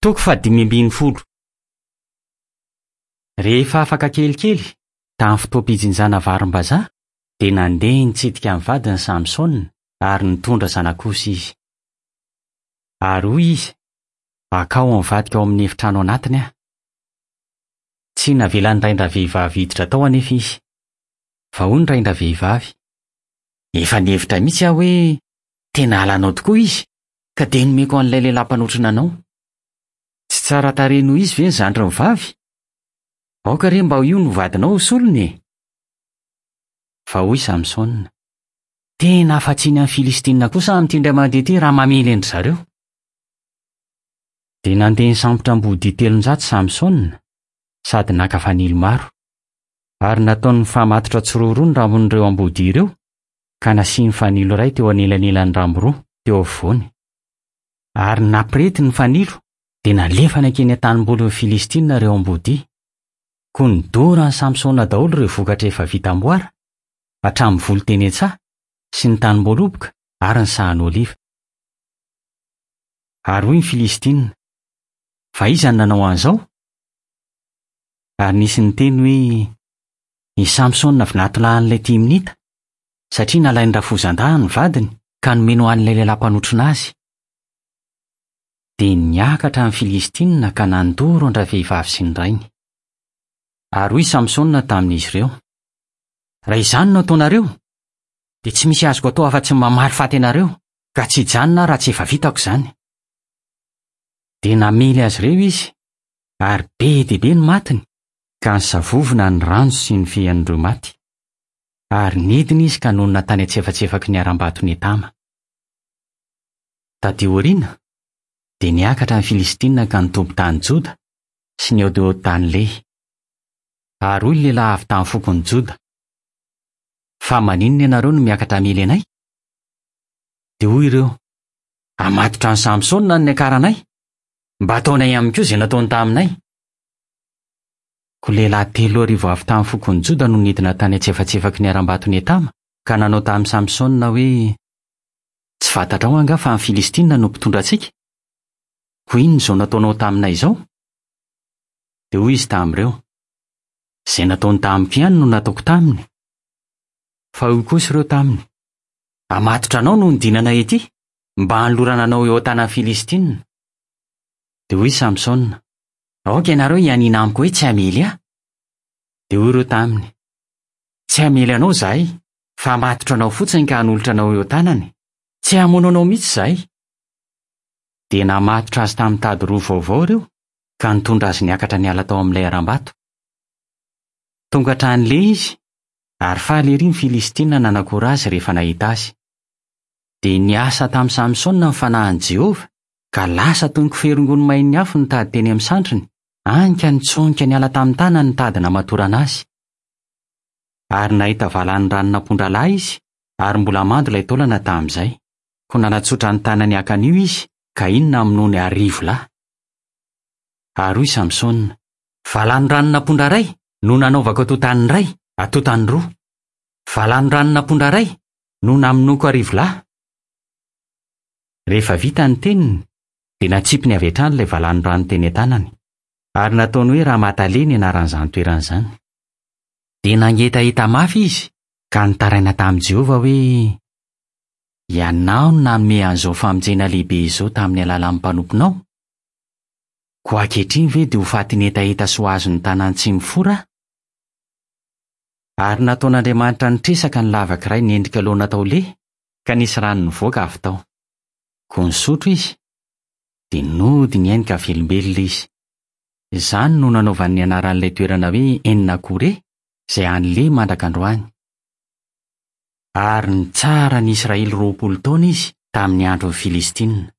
Toko fahadimy ambin'ny folo. Rehefa afaka kelikely, tamin'ny fotoam-pijinjana varim-bazaha, dia nandeha nitsidika ny vadiny Samsona ary nitondra zanak'osy izy. Ary hoy izy, Akao amin'ny vadiko ao amin'ny efitrano anatiny aho. Tsy navelan'ny rain-dravehivavy hiditra tao anefa izy. Fa hoy ny rain-dravehivavy, Efa nihevitra mihitsy aho hoe tena halanao tokoa izy, ka dia nomeko an'ilay lehilahy mpanotrona anao. Tsy tsara tarehy noho izy ve ny zandriny vavy? Aoka re mba ho io no vadinao ho solony e! Fa hoy Samsona, Tena afa-tsiny amin'ny Filistinina kosa amin'ity indray mandeha ity raha mamely an-dry zareo. Dia nandeha nisambotra ambodia 300 Samsona, sady naka fanilo maro. Ary nataony nifamatotra tsiroaroa ny rambon'ireo ambodia ireo, ka nasiany fanilo iray teo anelanelan'ny rambo roa, teo afovoany. Ary nampirety ny fanilo, dia nalefany hankeny an-tanimbolin'ny Filistinina ireo ambodia. Koa nodoran'i Samsona daholo ireo vokatra efa vita amboara, hatramin'ny voly teny an-tsaha, sy ny tanim-boaloboka ary ny sahan'oliva. Ary hoy ny Filistinina, Fa iza no nanao an'izao? Ary nisy niteny hoe, I Samsona vinatolahin'ilay Timnita, satria nalain'ny rafozan-dahiny ny vadiny ka nomeny ho an'ilay lehilahy mpanotrona azy. Dia niakatra ny Filistinina ka nandoro an-dravehivavy sy ny rainy. Ary hoy Samsona tamin'izy ireo, Raha izany no ataonareo, dia tsy misy azoko atao afa-tsy ny mamaly faty anareo, ka tsy hijanona aho raha tsy efa vitako izany. Dia namely azy ireo izy, ary be dia be ny matiny, ka nisavovona ny ranjo sy ny fean'ireo maty. Ary nidina izy ka nonina tany an-tsefatsefaky ny harambaton'i Etama. Tatỳ aoriana, dia niakatra ny Filistinina ka nitoby tany Joda sy nihaodihaody tany Lehy. Ary hoy ny lehilahy avy tamin'ny fokon'i Joda, Fa maninona ianareo no miakatra hamely anay? Dia hoy ireo, Hamatotra an'i Samsona no niakaranay, mba hataonay aminy koa izay nataony taminay. Koa lehilahy 3000 avy tamin'ny fokon'i Joda no nidina tany an-tsefatsefaky ny harambaton'i Etama, ka nanao tamin'i Samsona hoe, Tsy fantatrao angaha fa ny Filistinina no mpitondra antsika? Koa inona izao nataonao taminay izao? Dia hoy izy tamin'ireo, Izay nataony tamiko ihany no nataoko taminy. Fa hoy kosa ireo taminy, Hamatotra anao no nidinanay ety, mba hanolorana anao eo an-tanan'ny Filistinina. Dia hoy Samsona, Aoka ianareo hianiana amiko hoe tsy hamely ahy. Dia hoy ireo taminy, Tsy hamely anao izahay, fa hamatotra anao fotsiny ka hanolotra anao eo an-tanany. Tsy hamono anao mihitsy izahay. Dia namatotra azy tamin'ny tady roa vaovao ireo, ka nitondra azy niakatra niala tao amin'ilay harambato. Tonga hatrany Lehy izy, ary faly erỳ ny Filistinina nanakora azy rehefa nahita azy. Dia niasa tamin'i Samsona ny fanahin'i Jehovah, ka lasa toy ny kofehy rongony main'ny afo ny tady teny amin'ny sandriny, hany ka nitsonika niala tamin'ny tanany ny tady namatorana azy. Ary nahita valanin-dranon'ampondralahy izy, ary mbola mando ilay taolana tamin'izay. Koa nanatsotra ny tanany haka an'io izy, ka iny namonoany 1000 lahy. Ary hoy Samsona, Valanin-dranon'ampondra iray no nanaovako atontany iray, atontany roa. Valanin-dranon'ampondra iray no namonoako 1000 lahy. Rehefa vita ny teniny, dia natsipiny avy hatrany ilay valanorano teny an-tanany, ary nataony hoe Ramatale ny anaran'izany toerana izany. Dia nangetaheta mafy izy ka nitaraina tamin'i Jehovah hoe, Ianao no nanome an'izao famonjena lehibe izao tamin'ny alalan'ny mpanomponao? Koa ankehitriny ve dia ho fatin'ny hetaheta sy ho azon'ny tanan'ny tsy mifora aho? Ary nataon'Andriamanitra nitresaka ny lavaka iray niendrika laona tao Lehy, ka nisy rano nivoaka avy tao. Koa nisotro izy, dia nody ny ainy ka velombelona izy. Izany no nanaovany ny anaran'ilay toerana hoe En-Akore, izay any Lehy mandraka androany. Ary nitsara ny Israely 20 taona izy tamin'ny andron'ny Filistinina.